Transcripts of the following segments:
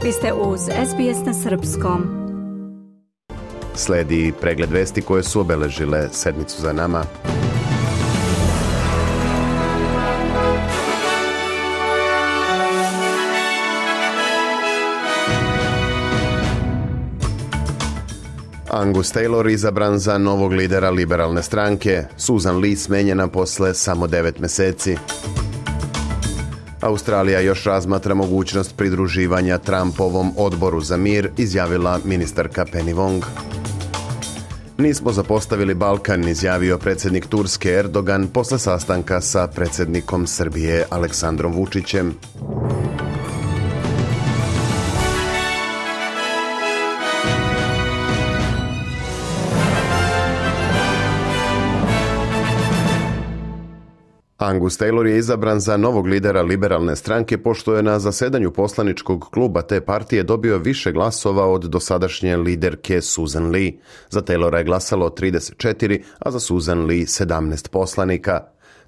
Vi ste uz SBS na srpskom. Sledi pregled vesti koje su obeležile sedmicu za nama. Angus Taylor izabran za novog lidera liberalne stranke. Susan Lee smenjena posle samo 9 meseci. Australija još razmatra mogućnost pridruživanja Trumpovom odboru za mir, izjavila ministarka Penny Wong. Nismo zapostavili Balkan, izjavio predsjednik Turske Erdogan posle sastanka sa predsjednikom Srbije Aleksandrom Vučićem. Angus Taylor je izabran za novog lidera liberalne stranke pošto je na zasedanju poslaničkog kluba te partije dobio više glasova od dosadašnje liderke Susan Lee. Za Taylora je glasalo 34, a za Susan Lee 17 poslanika.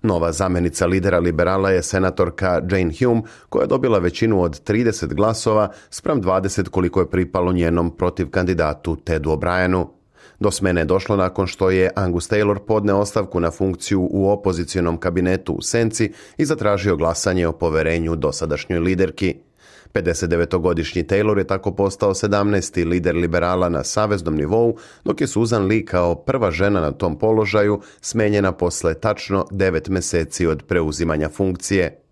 Nova zamenica lidera liberala je senatorka Jane Hume, koja je dobila većinu od 30 glasova spram 20 koliko je pripalo njenom protiv kandidatu Tedu O'Brienu. Do smene je došlo nakon što je Angus Taylor podneo ostavku na funkciju u opozicionom kabinetu u senci i zatražio glasanje o poverenju dosadašnjoj liderki. 59-godišnji Taylor je tako postao 17. lider liberala na saveznom nivou, dok je Susan Lee kao prva žena na tom položaju smenjena posle tačno 9 meseci od preuzimanja funkcije.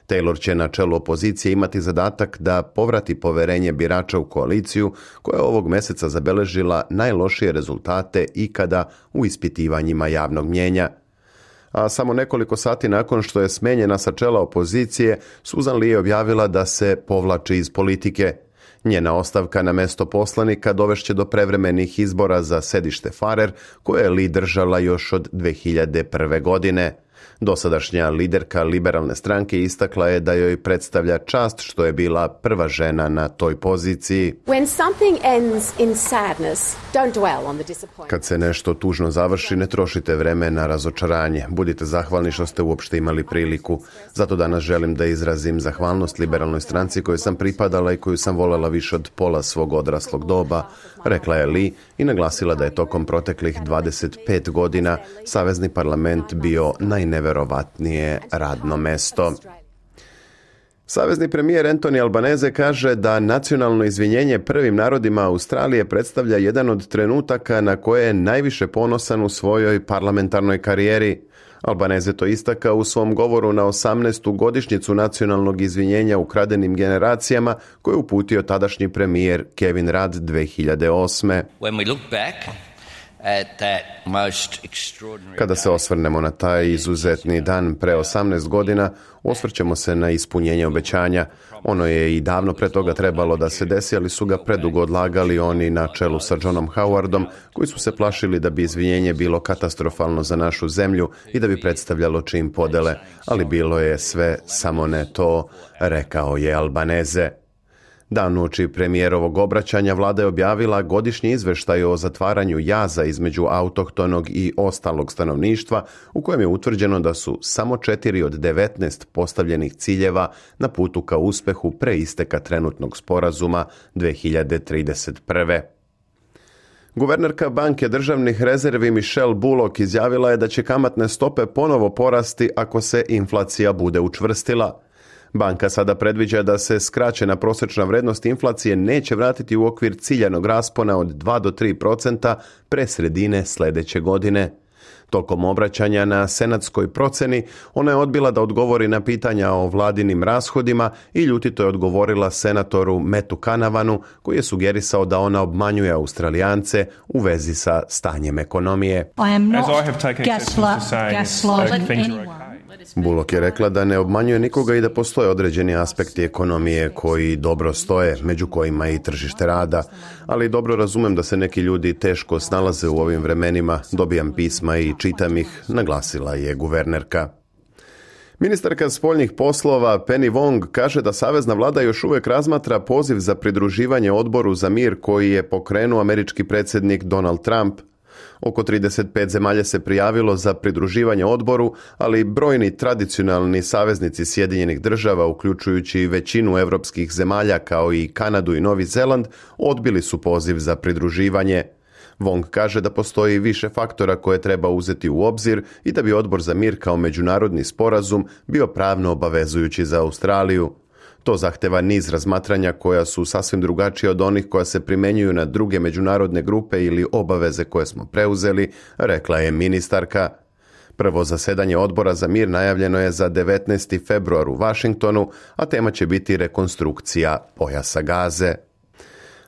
Taylor će na čelu opozicije imati zadatak da povrati poverenje birača u koaliciju koja je ovog meseca zabeležila najlošije rezultate ikada u ispitivanjima javnog mnijenja. A samo nekoliko sati nakon što je smenjena sa čela opozicije, Susan Lee je objavila da se povlači iz politike. Njena ostavka na mesto poslanika dovešće do prevremenih izbora za sedište Farrer, koje je Lee držala još od 2001. godine. Dosadašnja liderka liberalne stranke istakla je da joj predstavlja čast što je bila prva žena na toj poziciji. Kad se nešto tužno završi, ne trošite vreme na razočaranje. Budite zahvalni što ste uopšte imali priliku. Zato danas želim da izrazim zahvalnost liberalnoj stranci kojoj sam pripadala i koju sam voljela više od pola svog odraslog doba, rekla je Lee i naglasila da je tokom proteklih 25 godina Savezni parlament bio najneverovatnije radno mesto. Savezni premijer Anthony Albanese kaže da nacionalno izvinjenje prvim narodima Australije predstavlja jedan od trenutaka na koje je najviše ponosan u svojoj parlamentarnoj karijeri. Albanese to istakao u svom govoru na 18. godišnjicu nacionalnog izvinjenja ukradenim generacijama koje je uputio tadašnji premijer Kevin Rudd 2008. Kada se osvrnemo na taj izuzetni dan pre 18 godina, osvrćemo se na ispunjenje obećanja. Ono je i davno pre toga trebalo da se desi, ali su ga predugo odlagali oni na čelu sa Johnom Howardom, koji su se plašili da bi izvinjenje bilo katastrofalno za našu zemlju i da bi predstavljalo čin podele, ali bilo je sve samo ne to, rekao je Albanese. Dan uoči premijerovog obraćanja vlada je objavila godišnji izveštaj o zatvaranju jaza između autohtonog i ostalog stanovništva, u kojem je utvrđeno da su samo 4 od 19 postavljenih ciljeva na putu ka uspehu pre isteka trenutnog sporazuma 2031. Guvernerka Banke državnih rezervi Michelle Bullock izjavila je da će kamatne stope ponovo porasti ako se inflacija bude učvrstila. Banka sada predviđa da se skraćena prosječna vrednost inflacije neće vratiti u okvir ciljanog raspona od 2 do 3% pre sredine sljedeće godine. Tokom obraćanja na senatskoj proceni, ona je odbila da odgovori na pitanja o vladinim rashodima i ljutito je odgovorila senatoru Mattu Canavanu, koji je sugerisao da ona obmanjuje Australijance u vezi sa stanjem ekonomije. Bullock je rekla da ne obmanjuje nikoga i da postoje određeni aspekti ekonomije koji dobro stoje, među kojima je i tržište rada, ali dobro razumem da se neki ljudi teško snalaze u ovim vremenima, dobijam pisma i čitam ih, naglasila je guvernerka. Ministarka spoljnih poslova Penny Wong kaže da savezna vlada još uvijek razmatra poziv za pridruživanje odboru za mir koji je pokrenuo američki predsjednik Donald Trump. Oko 35 zemalja se prijavilo za pridruživanje odboru, ali brojni tradicionalni saveznici Sjedinjenih država, uključujući većinu evropskih zemalja kao i Kanadu i Novi Zeland, odbili su poziv za pridruživanje. Wong kaže da postoji više faktora koje treba uzeti u obzir i da bi odbor za mir kao međunarodni sporazum bio pravno obavezujući za Australiju. To zahteva niz razmatranja koja su sasvim drugačije od onih koja se primjenjuju na druge međunarodne grupe ili obaveze koje smo preuzeli, rekla je ministarka. Prvo zasedanje odbora za mir najavljeno je za 19. februar u Washingtonu, a tema će biti rekonstrukcija pojasa Gaze.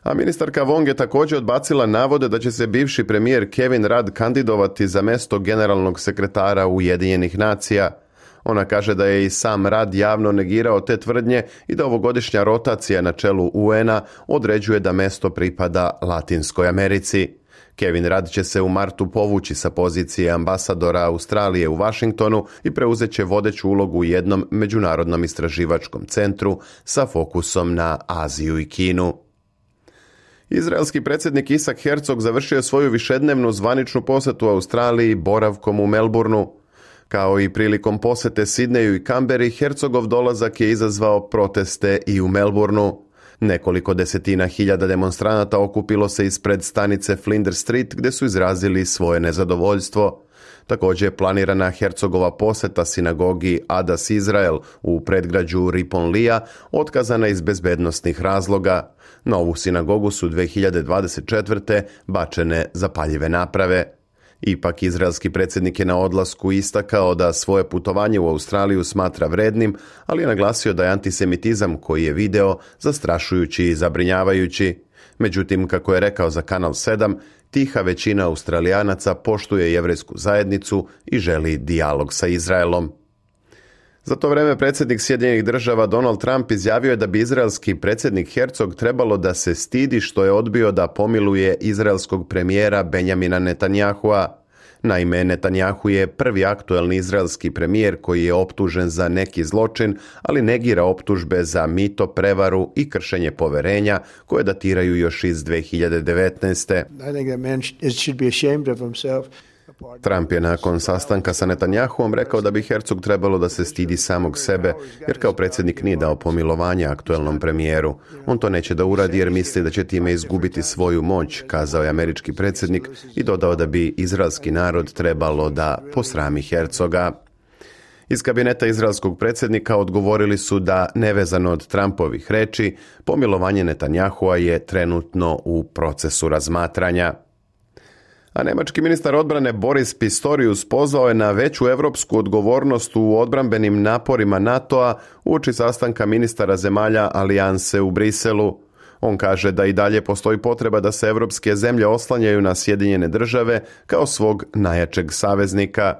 A ministarka Wong je također odbacila navode da će se bivši premijer Kevin Rudd kandidovati za mesto generalnog sekretara Ujedinjenih nacija. Ona kaže da je i sam Rudd javno negirao te tvrdnje i da ovogodišnja rotacija na čelu UN-a određuje da mesto pripada Latinskoj Americi. Kevin Rudd će se u martu povući sa pozicije ambasadora Australije u Washingtonu i preuzet će vodeću ulogu u jednom međunarodnom istraživačkom centru sa fokusom na Aziju i Kinu. Izraelski predsjednik Isaac Herzog završio svoju višednevnu zvaničnu posjetu Australiji boravkom u Melbourneu. Kao i prilikom posjete Sidneju i Kamberi, Herzogov dolazak je izazvao proteste i u Melbourneu. Nekoliko desetina hiljada demonstranata okupilo se ispred stanice Flinders Street gdje su izrazili svoje nezadovoljstvo. Također je planirana Herzogova posjeta sinagogi Adas Izrael u predgrađu Riponlija otkazana iz bezbednosnih razloga. Na ovu sinagogu su 2024. bačene zapaljive naprave. Ipak izraelski predsjednik je na odlasku istakao da svoje putovanje u Australiju smatra vrednim, ali je naglasio da je antisemitizam koji je video zastrašujući i zabrinjavajući. Međutim, kako je rekao za Kanal 7, tiha većina Australijanaca poštuje jevrejsku zajednicu i želi dijalog sa Izraelom. Za to vrijeme predsjednik Sjedinjenih država Donald Trump izjavio je da bi izraelski predsjednik Herzog trebalo da se stidi što je odbio da pomiluje izraelskog premijera Benjamina Netanyahua. Naime, Netanyahu je prvi aktuelni izraelski premijer koji je optužen za neki zločin, ali negira optužbe za mito, prevaru i kršenje poverenja koje datiraju još iz 2019. Trump je nakon sastanka sa Netanyahuom rekao da bi Herzog trebalo da se stidi samog sebe, jer kao predsjednik nije dao pomilovanje aktuelnom premijeru. On to neće da uradi jer misli da će time izgubiti svoju moć, kazao je američki predsjednik i dodao da bi izraelski narod trebalo da posrami Herzoga. Iz kabineta izraelskog predsjednika odgovorili su da, nevezano od Trumpovih reči, pomilovanje Netanyahua je trenutno u procesu razmatranja. A nemački ministar odbrane Boris Pistorius pozvao je na veću evropsku odgovornost u odbrambenim naporima NATO-a uoči sastanka ministara zemalja alijanse u Briselu. On kaže da i dalje postoji potreba da se evropske zemlje oslanjaju na Sjedinjene države kao svog najjačeg saveznika.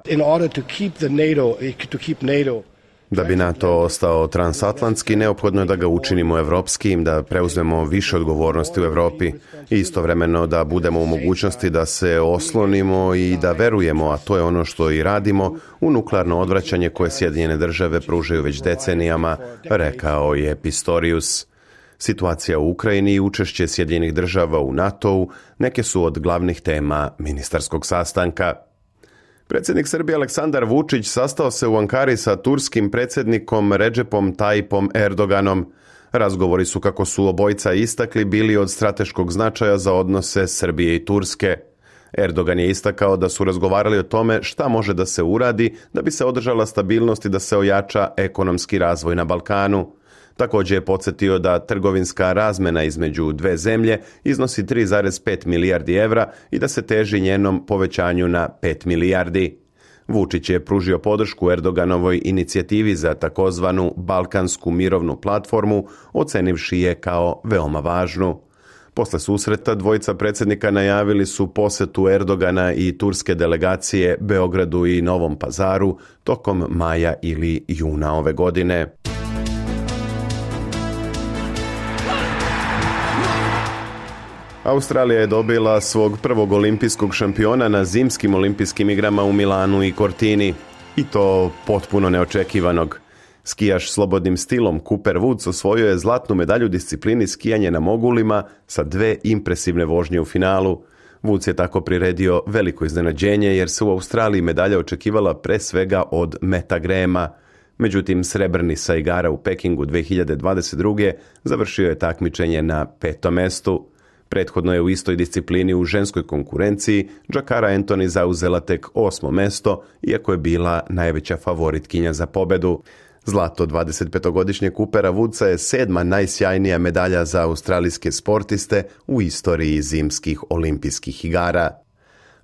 Da bi NATO ostao transatlantski, neophodno je da ga učinimo evropskim, da preuzmemo više odgovornosti u Europi i istovremeno da budemo u mogućnosti da se oslonimo i da verujemo, a to je ono što i radimo, u nuklearno odvraćanje koje Sjedinjene države pružaju već decenijama, rekao je Pistorius. Situacija u Ukrajini i učešće Sjedinjenih država u NATO-u neke su od glavnih tema ministarskog sastanka. Predsjednik Srbije Aleksandar Vučić sastao se u Ankari sa turskim predsjednikom Redžepom Tayyipom Erdoganom. Razgovori su, kako su obojica istakli, bili od strateškog značaja za odnose Srbije i Turske. Erdogan je istakao da su razgovarali o tome šta može da se uradi da bi se održala stabilnost i da se ojača ekonomski razvoj na Balkanu. Također je podsjetio da trgovinska razmena između dve zemlje iznosi 3,5 milijardi evra i da se teži njenom povećanju na 5 milijardi. Vučić je pružio podršku Erdoganovoj inicijativi za takozvanu Balkansku mirovnu platformu, ocenivši je kao veoma važnu. Posle susreta dvojica predsjednika najavili su posjetu Erdogana i turske delegacije Beogradu i Novom Pazaru tokom maja ili juna ove godine. Australija je dobila svog prvog olimpijskog šampiona na zimskim olimpijskim igrama u Milanu i Cortini. I to potpuno neočekivanog. Skijaš slobodnim stilom Cooper Woods osvojio je zlatnu medalju u disciplini skijanje na mogulima sa 2 impresivne vožnje u finalu. Woods je tako priredio veliko iznenađenje jer se u Australiji medalja očekivala pre svega od Meta Grahama. Međutim, srebrni sa igara u Pekingu 2022. završio je takmičenje na 5. mestu. Prethodno je u istoj disciplini u ženskoj konkurenciji Jakara Anthony zauzela tek 8. mesto, iako je bila najveća favoritkinja za pobedu. Zlato 25-godišnjeg Coopera Woodsa je 7. najsjajnija medalja za australijske sportiste u istoriji zimskih olimpijskih igara.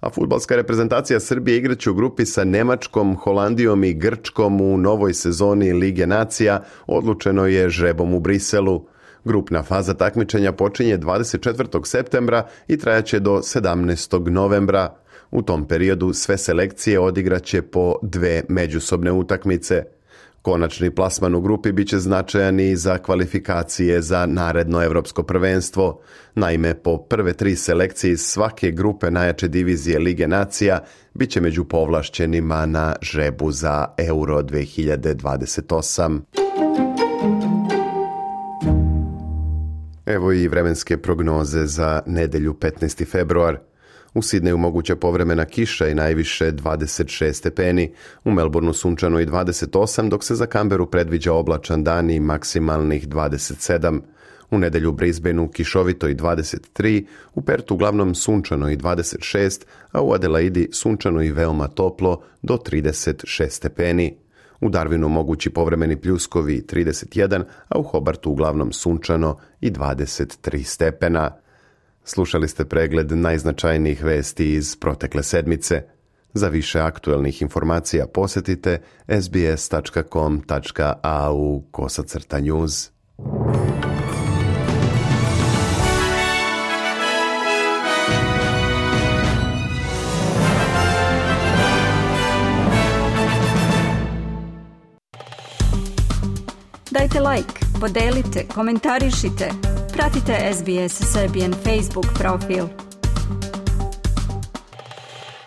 A fudbalska reprezentacija Srbije igraće u grupi sa Nemačkom, Holandijom i Grčkom u novoj sezoni Lige nacija, odlučeno je žrebom u Briselu. Grupna faza takmičenja počinje 24. septembra i trajaće do 17. novembra. U tom periodu sve selekcije odigraće po 2 međusobne utakmice. Konačni plasman u grupi biće značajan i za kvalifikacije za naredno evropsko prvenstvo. Naime, po prve 3 selekcije iz svake grupe najjače divizije Lige nacija biće među povlašćenima na žrebu za Euro 2028. Evo i vremenske prognoze za nedelju 15. februar. U Sidneju moguća povremena kiša i najviše 26 stepeni, u Melbourneu sunčano i 28, dok se za Canberu predviđa oblačan dan i maksimalnih 27. U nedelju u Brisbaneu kišovito i 23, u Pertu uglavnom sunčano i 26, a u Adelaidi sunčano i veoma toplo do 36 stepeni. U Darwinu mogući povremeni pljuskovi 31, a u Hobartu uglavnom sunčano i 23 stepena. Slušali ste pregled najznačajnijih vesti iz protekle sedmice. Za više aktuelnih informacija posjetite sbs.com.au/news. Dajte like, podelite, komentarišite. Pratite SBS Serbian Facebook profil.